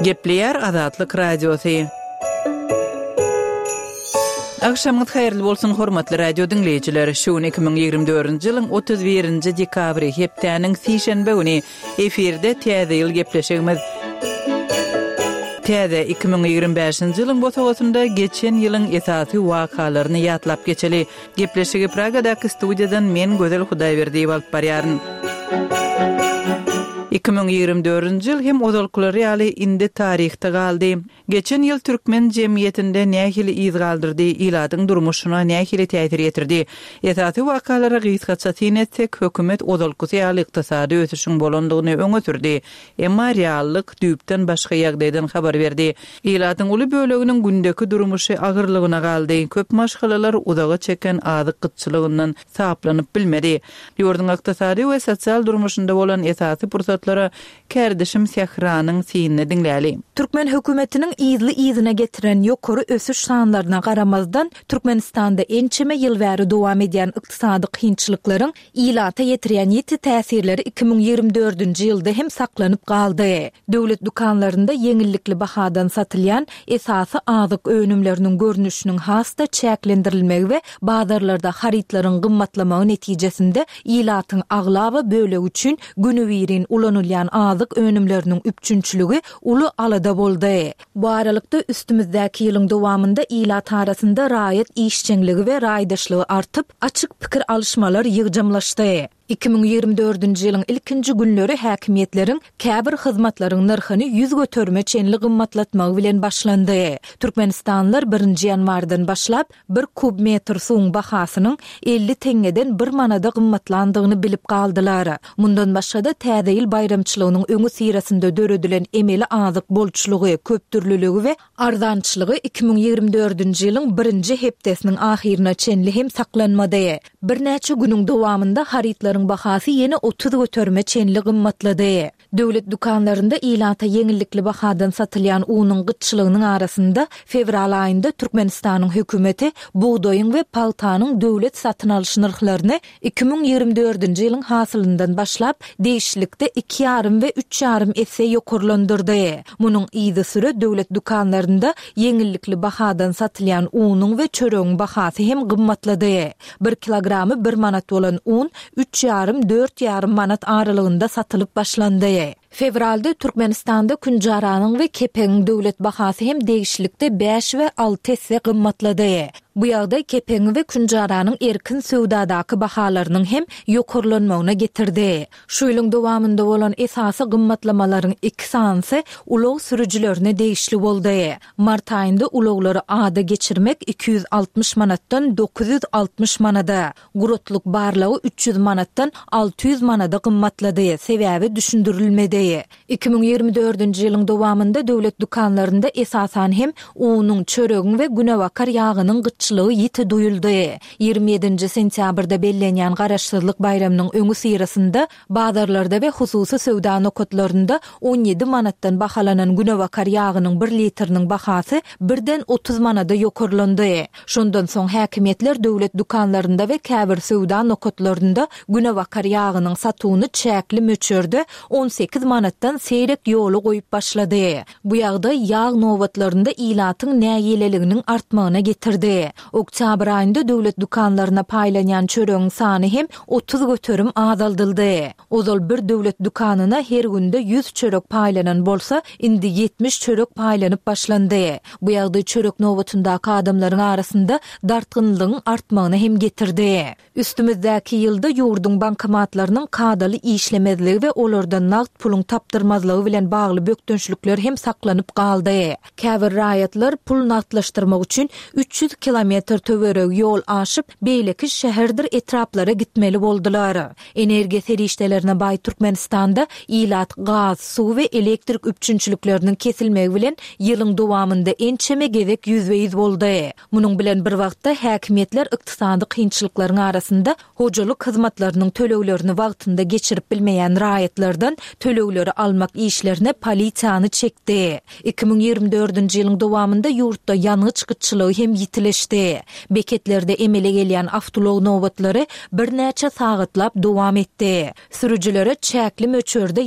Gepleýär Azatlyk Radiosy. Agşamyňyz haýyrly bolsun, hormatly radio diňleýjiler! Şu gün 2024-nji ýylyň 31-nji dekabry, hepdäniň sişenbe güni. Efirde Täze ýyl gepleşigimiz. Täze 2025-nji ýylyň bosagasynda geçen ýylyň esasy wakalaryny ýatlap geçeli. Gepleşigi Pragadaky studiýadan men Gözel Hudaýberdiýewa alyp barýaryn. 2024-nji ýyl hem ozalkylary ýaly indi taryhda galdy. Geçen ýyl türkmen jemgyýetinde nähili yz galdyrdy, ilatyň durmuşyna nähili täsir ýetirdi? Esasy wakalara gysgaça syn etsek, hökümet ozalkysy ýaly ykdysady ösüşiň bolandygyny öňe sürdi. Emma reallyk düýpden başga ýagdaýdan habar berdi. Ilatyň uly böleginiň gündeki durmuşy agyrlygyna galdy, köp maşgalalar uzaga çeken azyk gytçylygyndan saplanyp bilmedi. Ýurduň ykdysady we sosial durmuşynda bolan esasy pursatlara kärdeşim Sähranyň synyny diňläli. Türkmen hökümetiniň yzly-yzyna getiren ýokary ösüş sanlaryna garamazdan, Türkmenistanda ençeme ýyl bäri dowam edýän ykdysady kynçylyklaryň ilata ýetirýän ýiti täsirleri 2024-nji ýylda hem saklanyp galdy. Döwlet dükanlarynda ýeňillikli bahadan satylýan esasy azyk önümleriniň görnüşiniň has-da çäklendirilmegi we bazarlarda harytlaryň gymmatlamagy netijesinde ilatyň aglaba bölegi üçin günübirin ulanylýan azyk önümleriniň üpjünçiligi uly alada boldy. Bu aralykda, üstümizdäki ýylyň dowamynda ilat arasynda raýat işjeňligi we raýdaşlygy artyp, açyk pikir alyşmalar ýygjamlaşdy. 2024-nji ýylyň ilkinji günleri häkimiýetleriň käbir hyzmatlaryň nyrhyny ýüz göterime çenli gymmatlatmagy bilen başlandy. Türkmenistanlylar birinji ýanwardan başlap, bir kub metr suwuň bahasynyň 50 teňňeden bir manada gymmatlandygyny bilip galdylar. Mundan başga-da, Täze ýyl baýramçylygynyň öňüsyrasynda döredilen emeli azyk bolçulygy, köpdürlüligi we arzançylygy 2024-nji ýylyň birinji hepdesiniň ahyryna çenli hem saklanmady. Birnäçe günüň dowamynda harytlaryň bahasy ýene 30 göterime çenli gymmatlady. Döwlet dükanlarynda ilata ýeňillikli bahadan satylýan unuň gytçylygynyň arasynda, fewral aýynda Türkmenistanyň hökümeti bugdaýyň we pagtanyň döwlet satyn alyş nyrhlaryny 2024-nji ýylyň hasylyndan başlap, degişlilikde iki ýarym we üç ýarym esse ýokarlandyrdy. Munuň yzysüre döwlet dükanlarynda ýeňillikli bahadan satylýan unuň we çöregiň bahasy hem gymmatlady. Bir kilogramy bir manat bolan un üç ýarym, dört ýarym manat aralygynda satylyp başlandy. Fewralda Türkmenistanda künjaranyň we kepegiň döwlet bahasy hem degişlilikde bäş we alty esse gymmatlady. Bu ýagdaý kepegiň we künjaranyň erkin söwdadaky bahalarynyň hem ýokarlanmagyna getirdi. Şu ýylyň dowamynda bolan esasy gymmatlamalaryň iki sanysy ulag sürüjilerine degişli boldy. Mart aýynda ulaglary ada geçirmek 260 manatdan 960 manada, Guratlyk barlagy 300 manatdan 600 manada gymmatlady, sebäbi düşündirilmedi. 2024-nji ýylyň dowamynda döwlet dükanlarynda esasan hem unuň, çöregiň we günebakar ýagynyň gytçylygy ýiti duýuldy. 27-nji sentýabrda bellenýän Garaşsyzlyk baýramynyň öňüsyrasynda Bazarlarda we hususy söwda nokatlarynda 17 manatdan bahalanan günebakar ýagynyň bir litriniň bahasy birden 30 manada ýokarlandy. Şondan soň häkimiýetler döwlet dükanlarynda we käbir söwda nokatlarynda günebakar ýagynyň satuwyny çäkli möçberde 18 manatdan seýrek ýola goýup başlady. Bu ýagdaý ýag nobatlarynda ilatyň nägileliginiň artmagyna getirdi. Oktýabr aýynda döwlet dükanlaryna paýlanýan çöregiň sany hem 30% azaldyldy. Ozal bir döwlet dükanyna her günde 100 çörek paýlanan bolsa, indi 70 çörek paýlanyp başlandy. Bu ýagdaý çörek nobatyndaky adamlaryň arasynda dartgynlygyň artmagyna hem getirdi. Üstümizdäki ýylda ýurduň bankomatlarynyň kadaly işlemezligi we olardan nagt puluň tapdyrmazlygy bilen bagly bökdençlikler hem saklanyp galdy. Käbir raýatlar pul nagtlaşdyrmak üçin 300 kilometr töweregi ýol aşyp, beýleki şäherdir etraplara gitmeli boldular. Energiýa serişdelerine baý Türkmenistanda ilat gaz, suw we elektrik üpjünçilikleriniň kesilmegi bilen ýylyň dowamynda ençeme gezek ýüzbe-ýüz boldy. Munuň bilen bir wagtda, häkimiýetler ykdysady kynçylyklaryň arasynda hojalyk hyzmatlarynyň töleglerini wagtynda geçirip bilmeýän raýatlardan tölegleri almak işlerine polisiýany çekdi. 2024-nji ýylyň dowamynda ýurtda ýangyç gytçylygy hem ýitileşdi. Beketlerde emele gelýän awtoulag nobatlary birnäçe sagatlap dowam etdi. Sürüjilere çäkli möçberde.